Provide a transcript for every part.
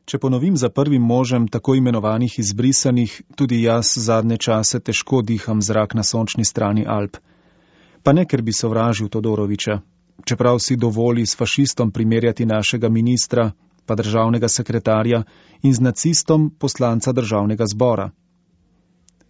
Če ponovim za prvim možem tako imenovanih izbrisanih, tudi jaz zadnje čase težko diham zrak na sončni strani Alp. Pa ne, ker bi sovražil Todorovića, čeprav si dovoli s fašistom primerjati našega ministra, pa državnega sekretarja in z nacistom poslanca državnega zbora.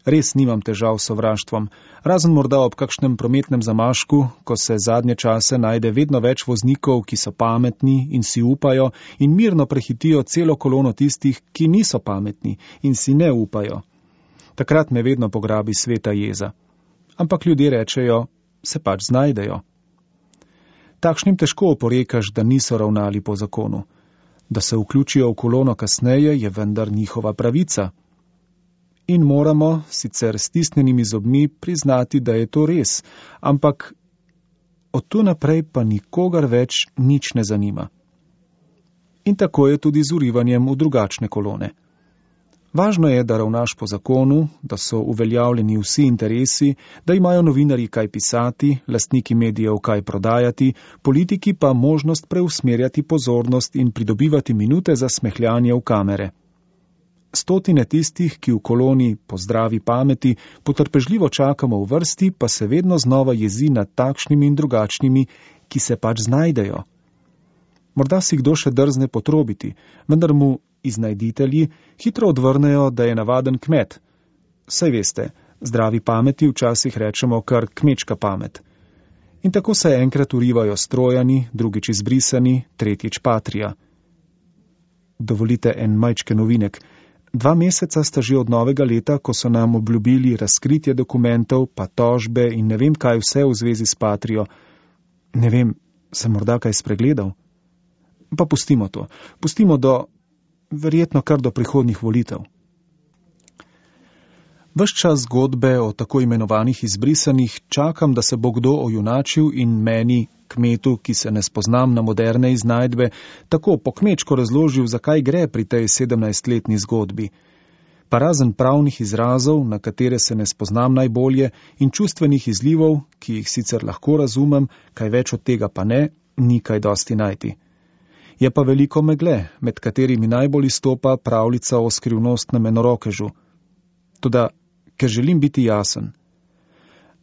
Res nimam težav s sovraštvom, razen morda ob kakšnem prometnem zamašku, ko se zadnje čase najde vedno več voznikov, ki so pametni in si upajo in mirno prehitijo celo kolono tistih, ki niso pametni in si ne upajo. Takrat me vedno pograbi sveta jeza. Ampak ljudje rečejo, se pač znajdejo. Takšnim težko oporekaš, da niso ravnali po zakonu. Da se vključijo v kolono kasneje, je vendar njihova pravica. In moramo, sicer s stisnjenimi zobmi, priznati, da je to res, ampak od tu naprej pa nikogar več nič ne zanima. In tako je tudi z vrivanjem v drugačne kolone. Važno je, da ravnaš po zakonu, da so uveljavljeni vsi interesi, da imajo novinarji kaj pisati, lastniki medijev kaj prodajati, politiki pa možnost preusmerjati pozornost in pridobivati minute za smehljanje v kamere. Stotine tistih, ki v koloni po zdravi pameti potrpežljivo čakamo v vrsti, pa se vedno znova jezi nad takšnimi in drugačnimi, ki se pač znajdejo. Morda si kdo še drzne potrobiti, vendar mu iznajditelji hitro odvrnejo, da je navaden kmet. Saj veste, zdravi pameti včasih rečemo kar kmečka pamet. In tako se enkrat urivajo strojani, drugič izbrisani, tretjič patrija. Dovolite en majčken novinek. 2 meseca sta že od novega leta, ko so nam obljubili razkritje dokumentov, pa tožbe in ne vem kaj vse v zvezi s patrijo. Ne vem, sem morda kaj spregledal? Pa pustimo to. Pustimo verjetno kar do prihodnjih volitev. Ves čas zgodbe o tako imenovanih izbrisanih čakam, da se bo kdo ojunačil in meni, kmetu, ki se ne spoznam na moderne iznajdbe, tako po kmečko razložil, zakaj gre pri tej 17-letni zgodbi. Pa razen pravnih izrazov, na katere se ne spoznam najbolje, in čustvenih izlivov, ki jih sicer lahko razumem, kaj več od tega pa ne, ni kaj dosti najti. Je pa veliko megle, med katerimi najbolj izstopa pravljica o skrivnostnem enorokežu. Toda, ker želim biti jasen.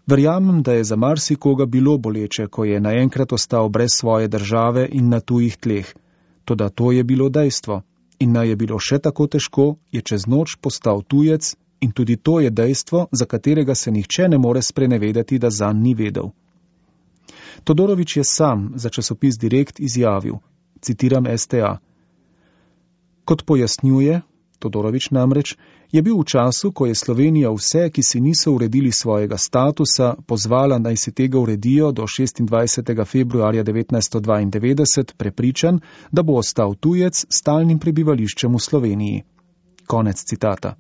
Verjamem, da je za marsikoga bilo boleče, ko je naenkrat ostal brez svoje države in na tujih tleh. Toda to je bilo dejstvo. In naj je bilo še tako težko, je čez noč postal tujec in tudi to je dejstvo, za katerega se nihče ne more sprenevedati, da zanj ni vedel. Todorović je sam za časopis Direkt izjavil, citiram STA. Kot pojasnjuje, Todorović namreč, je bil v času, ko je Slovenija vse, ki si niso uredili svojega statusa, pozvala naj si tega uredijo do 26. februarja 1992, prepričan, da bo ostal tujec s stalnim prebivališčem v Sloveniji. Konec citata.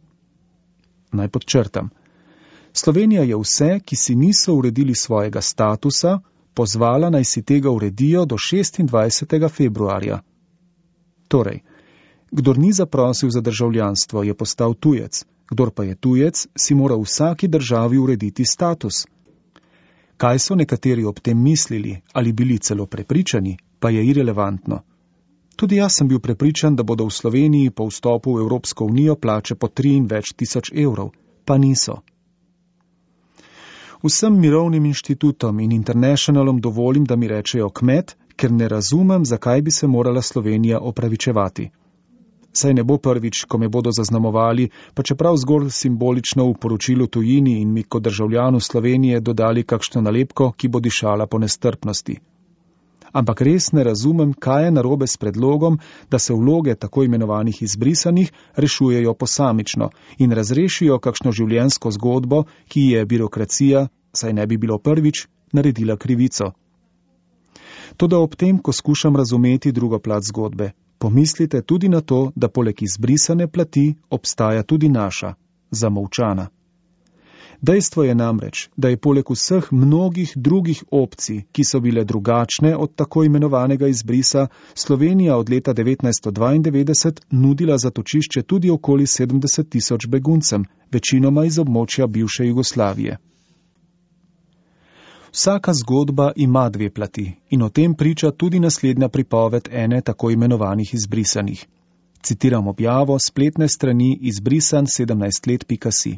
Naj podčrtam. Slovenija je vse, ki si niso uredili svojega statusa, pozvala naj si tega uredijo do 26. februarja. Torej, kdor ni zaprosil za državljanstvo, je postal tujec, kdor pa je tujec, si mora v vsaki državi urediti status. Kaj so nekateri ob tem mislili ali bili celo prepričani, pa je irelevantno. Tudi jaz sem bil prepričan, da bodo v Sloveniji po vstopu v Evropsko unijo plače po 3 in več tisoč evrov, pa niso. Vsem mirovnim inštitutom in Internationalom dovolim, da mi rečejo kmet, ker ne razumem, zakaj bi se morala Slovenija opravičevati. Saj ne bo prvič, ko me bodo zaznamovali, pa čeprav zgolj simbolično v poročilu tujini in mi kot državljanu Slovenije dodali kakšno nalepko, ki bo dišala po nestrpnosti. Ampak res ne razumem, kaj je narobe s predlogom, da se vloge tako imenovanih izbrisanih rešujejo posamično in razrešijo kakšno življenjsko zgodbo, ki je birokracija, saj ne bi bilo prvič, naredila krivico. Toda ob tem, ko skušam razumeti drugo plat zgodbe, pomislite tudi na to, da poleg izbrisane plati obstaja tudi naša, zamolčana. Dejstvo je namreč, da je poleg vseh mnogih drugih opcij, ki so bile drugačne od tako imenovanega izbrisa, Slovenija od leta 1992 nudila zatočišče tudi okoli 70 tisoč beguncem, večinoma iz območja bivše Jugoslavije. Vsaka zgodba ima 2 plati in o tem priča tudi naslednja pripoved ene tako imenovanih izbrisanih. Citiram objavo spletne strani izbrisan17let.si.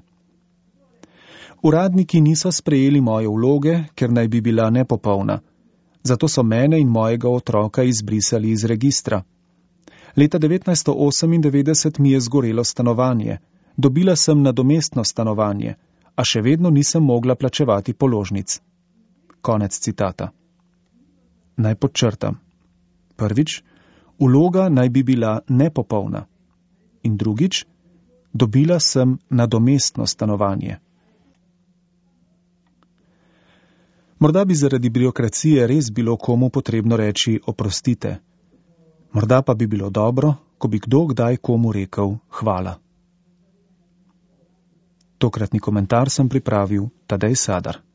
Uradniki niso sprejeli moje vloge, ker naj bi bila nepopolna. Zato so mene in mojega otroka izbrisali iz registra. Leta 1998 mi je zgorelo stanovanje. Dobila sem nadomestno stanovanje, a še vedno nisem mogla plačevati položnic. Konec citata. Naj podčrtam. Prvič, vloga naj bi bila nepopolna. In drugič, dobila sem nadomestno stanovanje. Morda bi zaradi birokracije res bilo komu potrebno reči oprostite. Morda pa bi bilo dobro, ko bi kdo kdaj komu rekel hvala. Tokratni komentar sem pripravil Tadej Sadar.